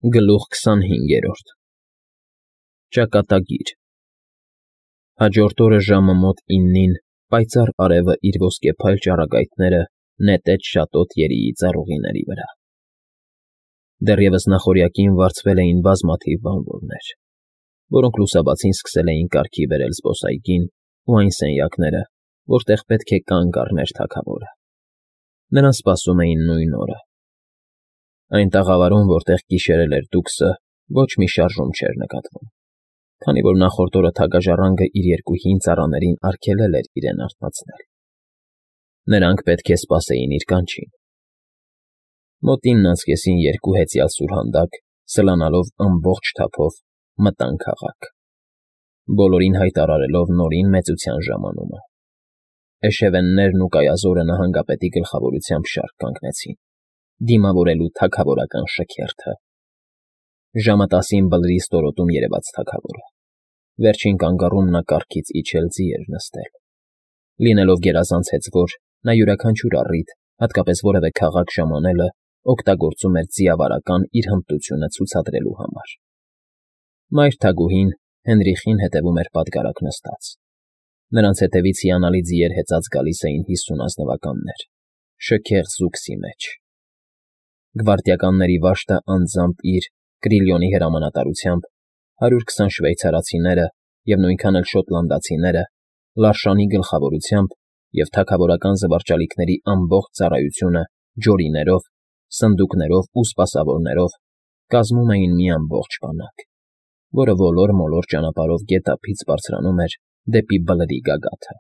Գլուխ 25 Ճակատագիր Հաջորդ օրը ժամը մոտ 9-ին պայծառ արևը իր ոսկեփայլ ճառագայթները նետեց շատոտ երիի ծառուղիների վրա։ Դեռևս նախօրյակին վարձվել էին բազմաթիվ բանվորներ, որոնք լուսաբացին սկսել էին կարգի բերել զբոսայգին ու այն սենյակները, որտեղ պետք է կանգ առներ թագավորը։ Նրան սպասում էին նույն օրը։ Այն տաղավարում, որտեղ գիշերել էր Դուքսը, ոչ մի շարժում չէր նկատվում, քանի որ նախորդ օրը թագաժառանգը իր երկու հին ծառաներին արգելել էր իրեն արթնացնել։ Նրանք պետք է սպասեին իր կանչին։ Մոտ 9:30-ին երկու հեծյալ սուրհանդակ, սլանալով ամբողջ թափով, մտան քաղաք, բոլորին հայտարարելով նորին մեծության ժամանումը։ Էշևեններն ու կայազորը նահանգապետի գլխավորությամբ շարք կանգնեցին, դիմավորելու թագավորական շքերթը։ Ժամը 10-ին բլրի ստորոտում երևաց թագավորը։ Վերջին կանգառում նա կառքից իջել ձի էր նստել։ Լինելով գերազանց հեծվոր, նա յուրաքանչյուր առիթ, հատկապես որևէ քաղաք ժամանելը, օգտագործում էր ձիավարական իր հմտությունը ցուցադրելու համար։ Մայր թագուհին Հենրիխին հետևում էր պատգարակ նստած։ Նրանց հետևից հիանալի ձիեր հեծած գալիս էին 50 ազնվականներ, շքեղ զուգսի մեջ։ Գվարդիականների վաշտը անձամբ իր Կրիլիոնի հրամանատարությամբ 120 շվեյցարացիները և նույնքան էլ շոտլանդացիները, Լարշանի գլխավորությամբ և թագավորական զվարճալիքների ամբողջ ծառայությունը ջորիներով, սնդուկներով ու սպասավորներով կազմում էին մի ամբողջ բանակ, որը ոլոր-մոլոր ճանապարհով գետափից բարձրանում էր դեպի Բլրի գագաթը։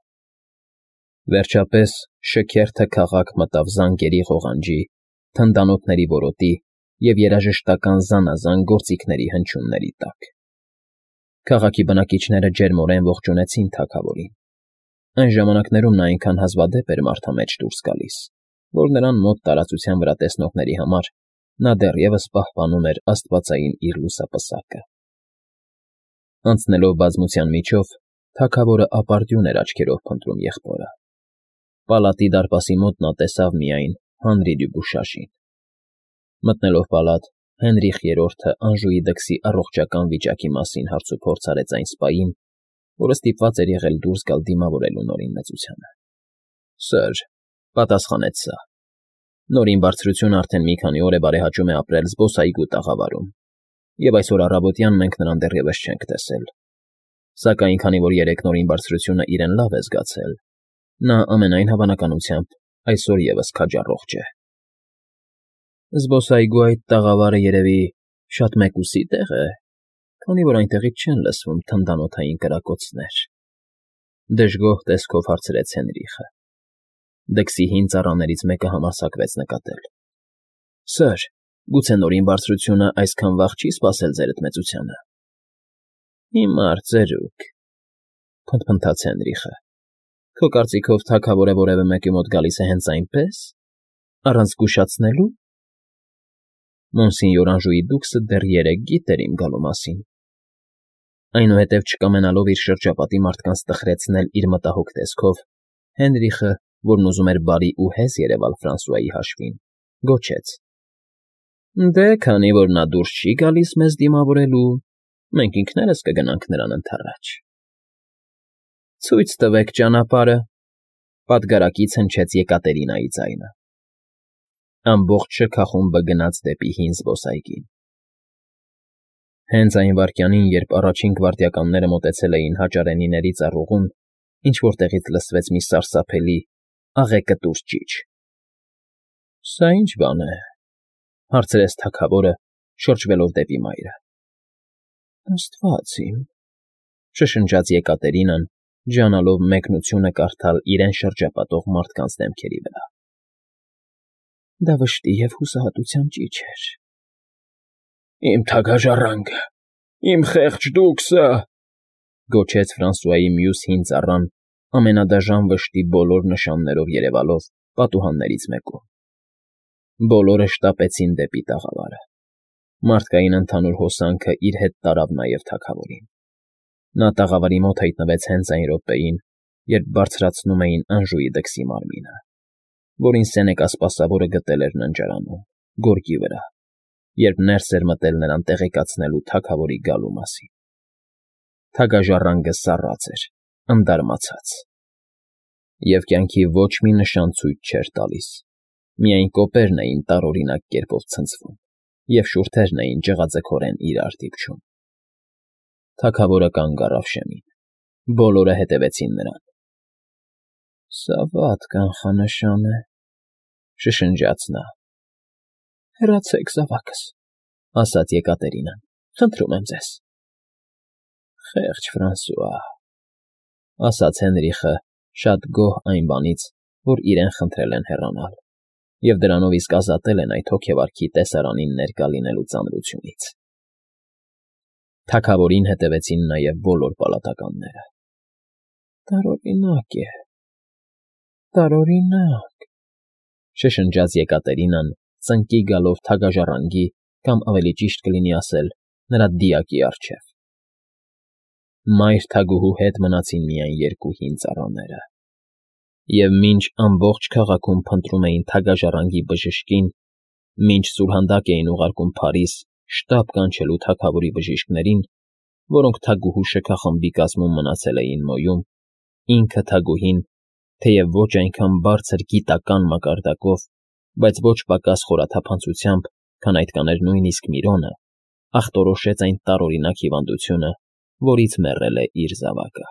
Վերջապես շքերթը քաղաք մտավ զանգերի ղողանջի, թնդանոթների որոտի և երաժշտական զանազան գործիքների հնչյունների տակ։ Քաղաքի բնակիչները ջերմորեն ողջունեցին թագավորին։ Այն ժամանակներում նա այնքան հազվադեպ էր մարդամեջ դուրս գալիս, որ նրան մոտ տարածության վրա տեսնողների համար նա դեռևս պահպանում էր աստվածային իր լուսապսակը։ Անցնելով բազմության միջով, թագավորը ապարդյուն էր աչքերով փնտրում եղբորը։ Պալատի դարպասի մոտ նա տեսավ միայն Հանրի Դյուբուշաժին։ Մտնելով պալատ, Հենրիխ III-ը Անժուի դքսի առողջական վիճակի մասին հարցուփորձ արեց այն սպային, որը ստիպված էր եղել դուրս գալ դիմավորելու Նորին մեծությանը։ Սըր,֊ պատասխանեց սա,֊ Նորին բարձրությունը արդեն մի քանի օր է բարեհաճում է ապրել զբոսայգու տաղավարում, և այսօր առավոտյան մենք նրան դեռևս չենք տեսել։ Սակայն քանի որ երեկ Նորին բարձրությունը իրեն լավ է զգացել, նա ամենայն հավանականությամբ այսօր ևս քաջառողջ է։ Զբոսայգու այդ տաղավարը երևի շատ մեկուսի տեղ է, քանի որ այնտեղից չեն լսվում թնդանոթային կրակոցներ,֊ դժգոհ տեսքով հարցրեց Հենրիխը։ Դքսի հին ծառաներից մեկը համարձակվեց նկատել։ Սըր, գուցե Նորին բարձրությունը այսքան վաղ չի սպասել ձերդ մեծությանը։ Հիմար, ծերուկ,֊ փնթփնթաց Հենրիխը։ Քո կարծիքով թագավորը որևէ մեկի մոտ գալիս է հենց այնպես, առանց զգուշացնելու։ Մոնսինյոր Անժուի դուքսը դեռ երեկ գիտեր իմ գալու մասին։ Այնուհետև չկամենալով իր շրջապատի մարդկանց տխրեցնել իր մտահոգ տեսքով, Հենրիխը, որն ուզում էր բարի ու հեզ երևալ Ֆրանսուայի հաշվին, գոչեց. Դե, քանի որ նա դուրս չի գալիս մեզ դիմավորելու, մենք ինքներս կգնանք նրան ընդառաջ։ Ցույց տվեք ճանապարհը,֊ պատգարակից հնչեց Եկատերինայի ձայնը։ Ամբողջ շքախումբը գնաց դեպի հին զբոսայգին։ Հենց այն վայրկյանին, երբ առաջին գվարդիականները մոտեցել էին հաճարենիների ծառուղուն, ինչ֊որ տեղից լսվեց մի սարսափելի, աղեկտուր ճիչ։ Սա ի՞նչ բան է,֊ հարցրեց թագավորը, շրջվելով դեպի մայրը։ Աստված իմ,֊ շշնջաց Եկատերինան, ջանալով մեկնությունը կարդալ իրեն շրջապատող մարդկանց դեմքերի վրա։ Դա վշտի և հուսահատության ճիչ էր։ Իմ թագաժառանգը, իմ խեղճ դուքսը,֊ գոչեց Ֆրանսուայի մյուս հին ծառան, ամենադաժան վշտի բոլոր նշաններով երևալով պատուհաններից մեկում։ Բոլորը շտապեցին դեպի տաղավարը։ Մարդկային ընդհանուր հոսանքը իր հետ տարավ նաև թագավորին։ Նա տաղավարի մոտ հայտնվեց հենց այն րոպեին, երբ բարձրացնում էին Անժուի դքսի մարմինը, որին Սենեկա սպասավորը գտել էր ննջարանում, գորգի վրա, երբ ներս էր մտել նրան տեղեկացնելու թագավորի գալու մասին։ Թագաժառանգը սառած էր, ընդարմացած, և կյանքի ոչ մի նշան ցույց չէր տալիս, միայն կոպերն էին տարօրինակ կերպով ցնցվում, և շուրթերն էին ջղաձգորեն իրար դիպչում։ Թագավորը կանգ առավ շեմին, բոլորը հետևեցին նրան։ «Սա վատ կանխանշան է,֊ շշնջաց նա։ Հեռացեք զավակս,֊ ասաց Եկատերինան,֊ խնդրում եմ ձեզ։ Խեղճ Ֆրանսուଆ,֊ ասաց Հենրիխը, շատ գոհ այն բանից, որ իրեն խնդրել են հեռանալ, և դրանով իսկ ազատել են այդ հոգեվարքի տեսարանին ներկա լինելու ծանրությունից։ Թագավորին հետևեցին նաև բոլոր պալատականները։ Տարօրինակ է, տարօրինակ,֊ շշնջաց Եկատերինան, ծնկի գալով թագաժառանգի կամ ավելի ճիշտ կլինի ասել, նրա դիակի առջև։ Մայր թագուհու հետ մնացին միայն երկու հին ծառաները, և մինչ ամբողջ քաղաքում փնտրում էին թագաժառանգի բժշկին, մինչ սուրհանդակ էին ուղարկում Փարիզ շտապ կանչելու թագավորի բժիշկներին, որոնք թագուհու շքախմբի կազմում մնացել էին Մոյում, ինքը թագուհին, թեև ոչ այնքան բարձր գիտական մակարդակով, բայց ոչ պակաս խորաթափանցությամբ, քան այդ կաներ նույնիսկ Միրոնը, ախտորոշեց այն տարօրինակ հիվանդությունը, որից մեռել է իր զավակը։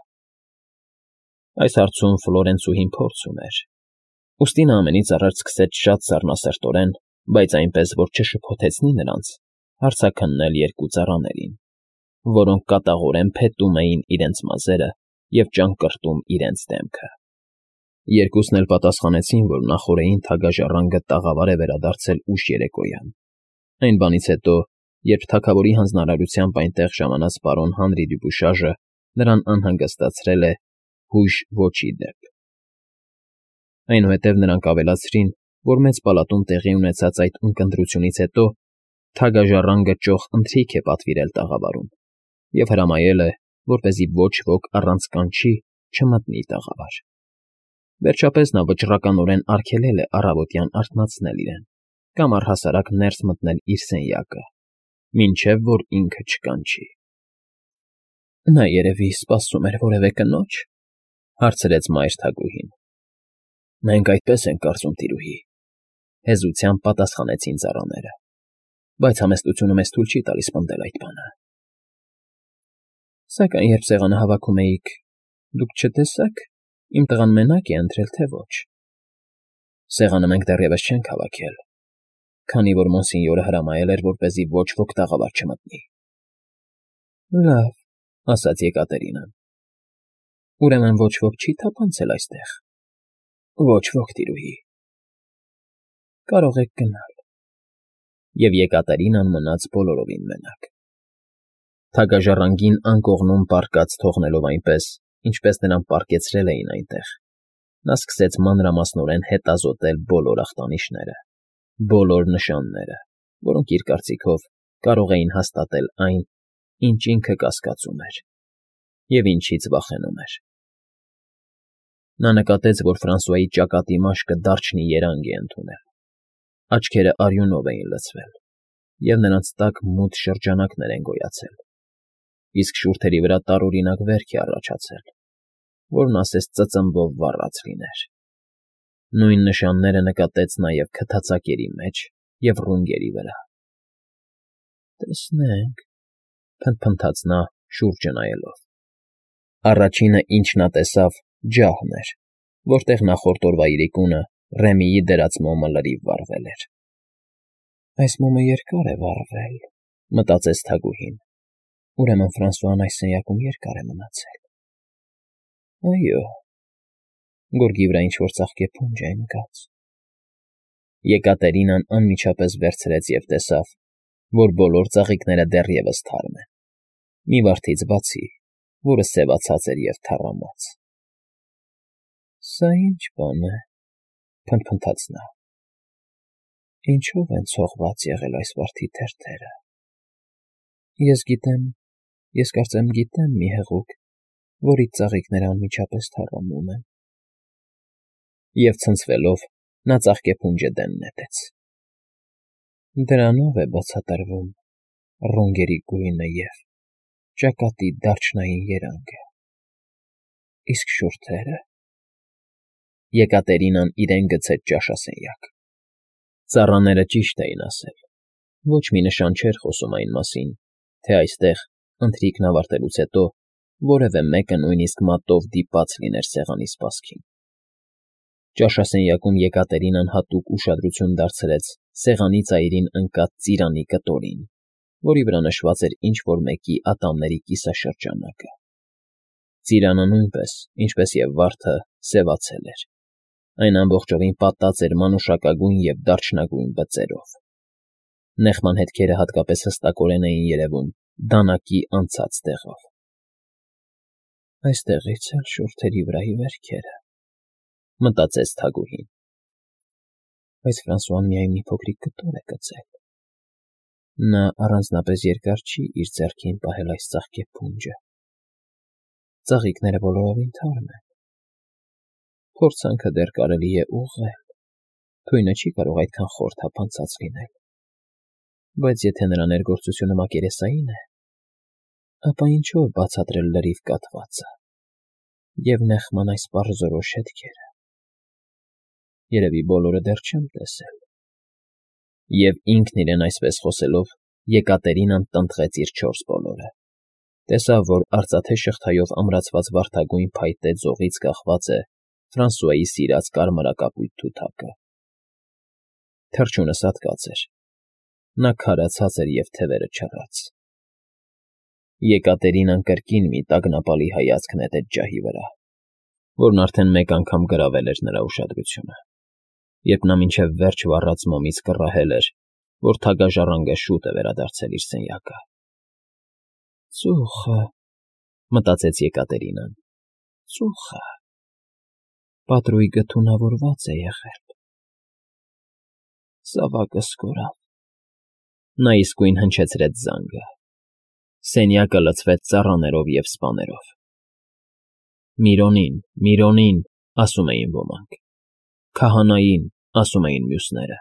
Այս հարցում Ֆլորենցուհին փորձ ուներ, ուստի նա ամենից առաջ սկսեց շատ սառնասրտորեն, բայց այնպես, որ չշփոթեցնի նրանց, հարցաքննել երկու ծառաներին, որոնք կատաղորեն փետում էին իրենց մազերը և ճանկռտում իրենց դեմքը։ Երկուսն էլ պատասխանեցին, որ նախօրեին թագաժառանգը տաղավար է վերադարձել ուշ երեկոյան, այն բանից հետո, երբ թագավորի հանձնարարությամբ այնտեղ ժամանած պարոն Հանրի Դյուբուշաժը նրան անհանգստացրել է հույժ ոչի դեպ։ Այնուհետև նրանք ավելացրին, որ մեծ պալատում տեղի ունեցած այդ ունկնդրությունից հետո թագաժառանգը ճոխ ընթրիք է պատվիրել տաղավարում և հրամայել է, որպեսզի ոչ ոք առանց կանչի չմտնի տաղավար։ Վերջապես նա վճռականորեն արգելել է առավոտյան արթնացնել իրեն կամ առհասարակ ներս մտնել իր սենյակը, մինչև որ ինքը չկանչի։ Նա երևի սպասում էր որևէ կնո՞ջ,֊ հարցրեց մայր թագուհին։ Մենք այդպես ենք կարծում, տիրուհի,֊ հեզությամբ պատասխանեցին ծառաները, բայց համեստությունը մեզ թույլ չի տալիս պնդել այդ բանը։ Սակայն երբ սեղանը հավաքում էիք, դուք չտեսա՞ք, իմ տղան մենակ է ընտրել, թե ոչ։ Սեղանը մենք դեռևս չենք հավաքել, քանի որ մոնսինյորը հրամայել էր, որպեսզի ոչ ոք տաղավար չմտնի։ Լավ,֊ ասաց Եկատերինան։ Ուրեմն ոչ ոք չի թափանցել այստեղ։ Ոչ ոք, տիրուհի։ Կարող եք գնալ։ Եվ Եկատերինան մնաց բոլորովին մենակ։ Թագաժառանգին անկողնում պառկած թողնելով այնպես, ինչպես նրան պառկեցրել էին այնտեղ, նա սկսեց մանրամասնորեն հետազոտել բոլոր ախտանիշները, բոլոր նշանները, որոնք իր կարծիքով կարող էին հաստատել այն, ինչ ինքը կասկածում էր և ինչից վախենում էր։ Նա նկատեց, որ Ֆրանսուայի ճակատի մաշկը դարչնի երանգ է ընդունել, աչքերը արյունով էին լցվել, և նրանց տակ մութ շրջանակներ են գոյացել, իսկ շուրթերի վրա տարօրինակ վերք է առաջացել, որն ասես ծծմբով վառած լիներ։ Նույն նշանները նկատեց նաև քթածակերի մեջ և ռունգերի վրա։ Տեսնենք,֊ փնթփնթաց նա, շուրջը նայելով։ Առաջինը, ինչ նա տեսավ, ջահն էր, որտեղ նախորդ օրվա իրիկունը Ռեմիի դրած մոմը լրիվ վառվել էր։ Այս մոմը երկար է վառվել,֊ մտածեց թագուհին։ Ուրեմն Ֆրանսուան այս սենյակում երկար է մնացել։ Այո, գորգի վրա ինչ֊որ ծաղկե փունջ է ընկած։ Եկատերինան անմիջապես վերցրեց և տեսավ, որ բոլոր ծաղիկները դեռևս թարմ են, մի վարդից բացի, որը սևացած էր և թառամած։ Սա ի՞նչ բան է,֊ փնթփնթաց նա։ Ինչո՞վ են ցողված եղել այս վարդի թերթերը։ Ես կարծեմ գիտեմ մի հեղուկ, որից ծաղիկները անմիջապես թառամում են։ Եվ ցնցվելով՝ նա ծաղկեփունջը դեն նետեց։ Դրանով է բացատրվում ռունգերի գույնը և ճակատի դարչնային երանգը, իսկ շուրթերը… Եկատերինան իրեն գցեց ճաշասենյակ։ Ծառաները ճիշտ էին ասել, ոչ մի նշան չէր խոսում այն մասին, թե այստեղ, ընթրիքն ավարտելուց հետո, որևէ մեկը նույնիսկ մատով դիպած լիներ սեղանի սպասքին։ Ճաշասենյակում Եկատերինան հատուկ ուշադրություն դարձրեց սեղանի ծայրին ընկած ծիրանի կտորին, որի վրա նշված էր ինչ֊որ մեկի ատամների կիսաշրջանակը։ Ծիրանը նույնպես, ինչպես և վարդը, սևացել էր. այն ամբողջովին պատած էր մանուշակագույն և դարչնագույն բծերով։ Նեխման հետքերը հատկապես հստակորեն էին երևում դանակի անցած տեղով։ «Այստեղից էլ շուրթերի վրայի վերքերը», մտածեց թագուհին։ Բայց Ֆրանսուան միայն մի փոքրիկ կտոր է գցել։ Նա առանձնապես երկար չի իր ձեռքին պահել այս ծաղկե փունջը։ Ծաղիկները բոլորովին թարմ են։ Փորձանքը դեռ կարելի է ուղղել, թույնը չի կարող այդքան խոր թափանցած լինել, բայց եթե նրա ներգործությունը մակերեսային է, ապա ինչո՞վ բացատրել լրիվ կաթվածը և նեխման այս պարզորոշ հետքերը… Երևի բոլորը դեռ չեմ տեսել։ Եվ ինքն իրեն այսպես խոսելով, Եկատերինան տնտղեց իր չորս բոլորը, տեսավ, որ արծաթե շղթայով ամրացված վարդագույն փայտե ձողից կախված է Ֆրանսուայի սիրած կարմրակապույտ թութակը։ Թռչունը սատկած էր, նա քարացած էր և թևերը չռած։ Եկատերինան կրկին մի տագնապալի հայացք նետեց ջահի վրա, որն արդեն մեկ անգամ գրավել էր նրա ուշադրությունը, երբ նա մինչև վերջ վառած մոմից կռահել էր, որ թագաժառանգը շուտ է վերադարձել իր սենյակը։ «Ծուխը», մտածեց Եկատերինան, «ծուխը… պատրույգը թունավորված է եղել»։ Զավակս կորավ։ Նա իսկույն հնչեցրեց զանգը։ Սենյակը լցվեց ծառաներով և սպաներով։ «Միրոնին, Միրոնին», ասում էին ոմանք, «քահանային», ասում էին մյուսները։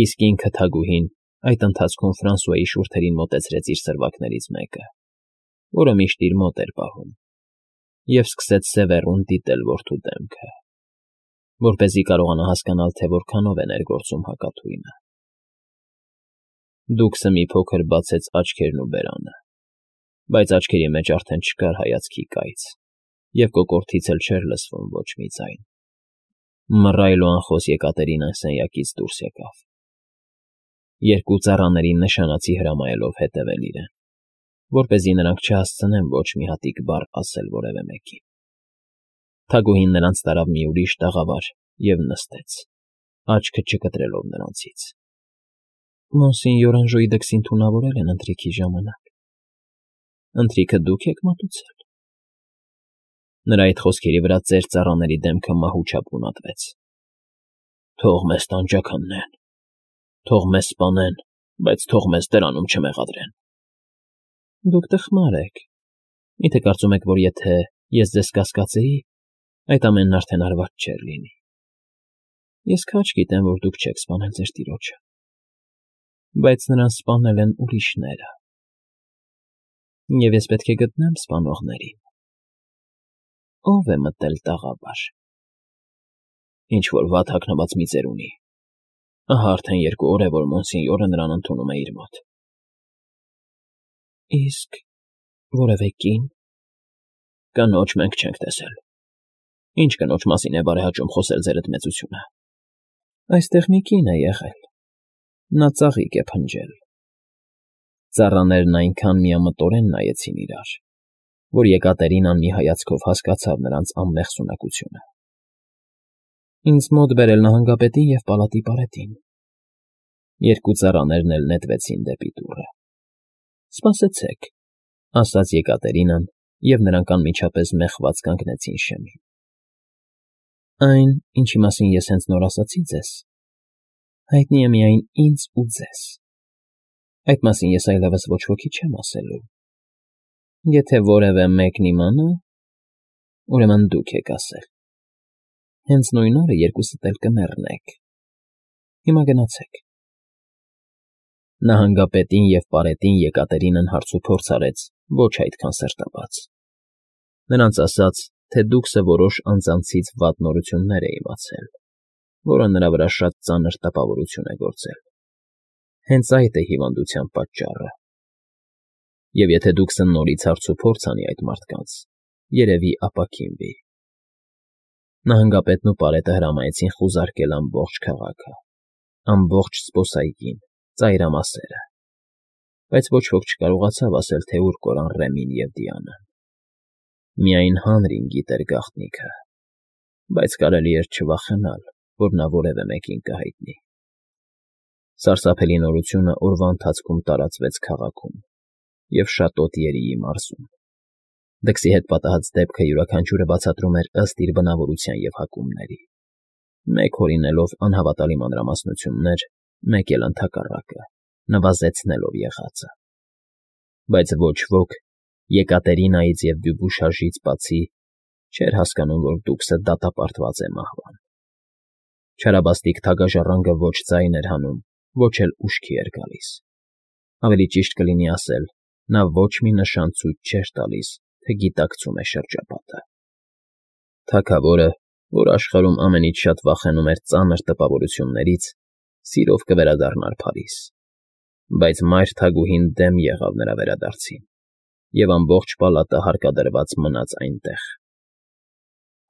Իսկ ինքը թագուհին այդ ընթացքում Ֆրանսուայի շուրթերին մոտեցրեց իր սրվակներից մեկը, որը միշտ իր մոտ էր պահում, և սկսեց սևեռուն դիտել որդու դեմքը, որպեսզի կարողանա հասկանալ, թե որքանով է ներգործում հակաթույնը։ Դուքսը մի փոքր բացեց աչքերն ու բերանը, բայց աչքերի մեջ արդեն չկար հայացքի կայծ, և կոկորդից էլ չէր լսվում ոչ մի ձայն։ Մռայլ ու անխոս Եկատերինան սենյակից դուրս եկավ, երկու ծառաներին նշանացի հրամայելով հետևել իրեն, որպեսզի նրանք չհասցնեն ոչ մի հատիկ բառ ասել որևէ մեկին։ Թագուհին նրանց տարավ մի ուրիշ տաղավար և նստեց, աչքը չկտրելով նրանցից։ «Մոնսինյոր Անժոյի դքսին թունավորել են ընթրիքի ժամանակ։ Ընթրիքը դուք եք մատուցել»։ Նրա այդ խոսքերի վրա ծեր ծառաների դեմքը մահուչապ գունատվեց։ «Թող մեզ տանջաքննեն, թող մեզ սպանեն, բայց թող մեզ դրանում չմեղադրեն»։ Դուք տխմար եք։ Միթե կարծում եք, որ եթե ես ձեզ կասկածեի, այդ ամենն արդեն արված չէր լինի։ Ես քաջ գիտեմ, որ դուք չեք սպանել ձեր տիրոջը, բայց նրան սպանել են ուրիշները, և ես պետք է գտնեմ սպանողներին։ Ո՞վ է մտել տաղավար։ Ինչ֊որ վատ հագնված մի ծերունի։ Ահա արդեն 2 օր է, որ Մոնսինյորը նրան ընդունում է իր մոտ։ Իսկ որևէ կին… Կնոջ մենք չենք տեսել։ Ինչ կնոջ մասին է բարեհաճում խոսել ձերդ մեծությունը։ Այստեղ մի կին է եղել, նա ծաղիկ է փնջել։ Ծառաներն այնքան միամտորեն նայեցին իրար, որ Եկատերինան մի հայացքով հասկացավ նրանց անմեղսունակությունը։ Ինձ մոտ բերել նահանգապետին և պալատի պարետին։ Երկու ծառաներն էլ նետվեցին դեպի դուռը։ «Սպասեցեք», ասաց Եկատերինան, և նրանք անմիջապես մեղված կանգնեցին շեմին։ Այն, ինչի մասին ես հենց նոր ասացի ձեզ, հայտնի է միայն ինձ ու ձեզ։ Այդ մասին ես այլևս ոչ ոքի չեմ ասելու։ Եթե որևէ մեկն իմանա, ուրեմն դուք եք ասել։ Հենց նույն օրը երկուսդ էլ կմեռնեք։ Հիմա գնացեք։ Նահանգապետին և պարետին Եկատերինան հարցուփորձ արեց ոչ այդքան սրտաբաց. նրանց ասաց, թե դուքսը որոշ անձանցից վատ նորություններ է իմացել, որը նրա վրա շատ ծանր տպավորություն է գործել. հենց այդ է հիվանդության պատճառը, և եթե դուքսը նորից հարցուփորձ անի այդ մարդկանց, երևի ապաքինվի։ Նահանգապետն ու պարետը հրամայեցին խուզարկել ամբողջ քաղաքը, ամբողջ զբոսայգին, ծայրամասերը, բայց ոչ ոք չկարողացավ ասել, թե ուր կորան Ռեմին և Դիանան։ Միայն Հանրին գիտեր գաղտնիքը, բայց կարելի էր չվախենալ, որ նա որևէ մեկին կհայտնի։ Սարսափելի նորությունը օրվա ընթացքում տարածվեց քաղաքում և շատոտ Երիի մարզում։ Դքսի հետ պատահած դեպքը յուրաքանչյուրը բացատրում էր ըստ իր բնավորության և հակումների, մեկ հորինելով անհավատալի մանրամասնություններ, մեկ էլ ընդհակառակը, նվազեցնելով եղածը։ Բայց ոչ ոք, Եկատերինայից և Դյուբուշաժից բացի, չէր հասկանում, որ դուքսը դատապարտված է մահվան։ Չարաբաստիկ թագաժառանգը ոչ ձայն էր հանում, ոչ էլ ուշքի էր գալիս։ Ավելի ճիշտ կլինի ասել, նա ոչ մի նշան ցույց չէր տալիս, թե գիտակցում է շրջապատը։ Թագավորը, որ աշխարհում ամենից շատ վախենում էր ծանր տպավորություններից, սիրով կվերադառնար Փարիզ, բայց մայր թագուհին դեմ եղավ նրա վերադարձին, և ամբողջ պալատը հարկադրված մնաց այնտեղ։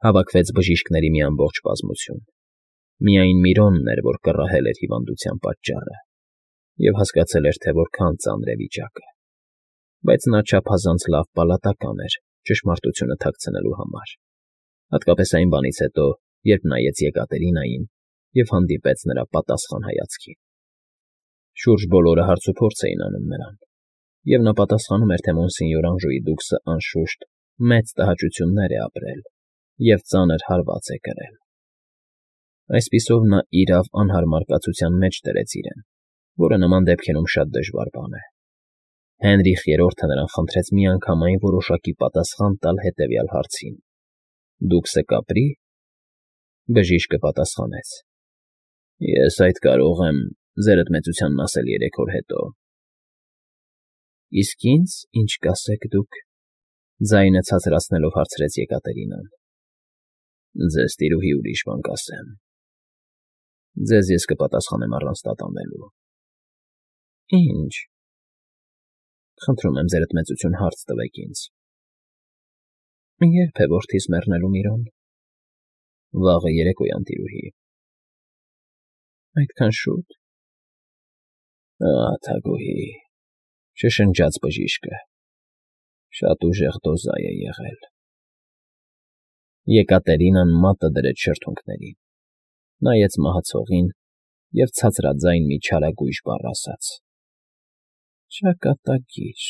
Հավաքվեց բժիշկների մի ամբողջ բազմություն։ Միայն Միրոնն էր, որ կռահել էր հիվանդության պատճառը և հասկացել էր, թե որքան ծանր է վիճակը, բայց նա չափազանց լավ պալատական էր ճշմարտությունը թաքցնելու համար, հատկապես այն բանից հետո, երբ նայեց Եկատերինային և հանդիպեց նրա պատասխան հայացքին։ Շուրջ բոլորը հարցուփորձ էին անում նրան, և նա պատասխանում էր, թե մոնսենյոր Անժուի դուքսը, անշուշտ, մեծ տհաճություններ է ապրել և ծանր հարված է կրել։ Այսպիսով նա իրավ անհարմար կացության մեջ դրեց իրեն, որը նման դեպքերում շատ դժվար բան է։ Հենրիխ III-ը նրան խնդրեց միանգամայն որոշակի պատասխան տալ հետևյալ հարցին. «Դուքսը կապրի՞»։ Բժիշկը պատասխանեց. «Ես այդ կարող եմ ձերդ մեծությանն ասել 3 օր հետո»։ «Իսկ ինձ ինչ կասեք դուք», ձայնը ցածրացնելով հարցրեց Եկատերինան։ «Ձեզ, տիրուհի, ուրիշ բան կասեմ։ Ձեզ ես կպատասխանեմ առանց տատանվելու»։ «Ի՞նչ»։ «Խնդրում եմ, ձերդ մեծություն, հարց տվեք ինձ»։ «Ե՞րբ է որդիս մեռնելու, Միրոն»։ «Վաղը երեկոյան, տիրուհի»։ «Այդքան շո՞ւտ»։ «Ահ, թագուհի», շշնջաց բժիշկը, «շատ ուժեղ դոզա է եղել»։ Եկատերինան մատը դրեց շրթունքներին, նայեց մահացողին և ցածրաձայն մի չարագույժ բառ ասաց. «Ճակատագիր»։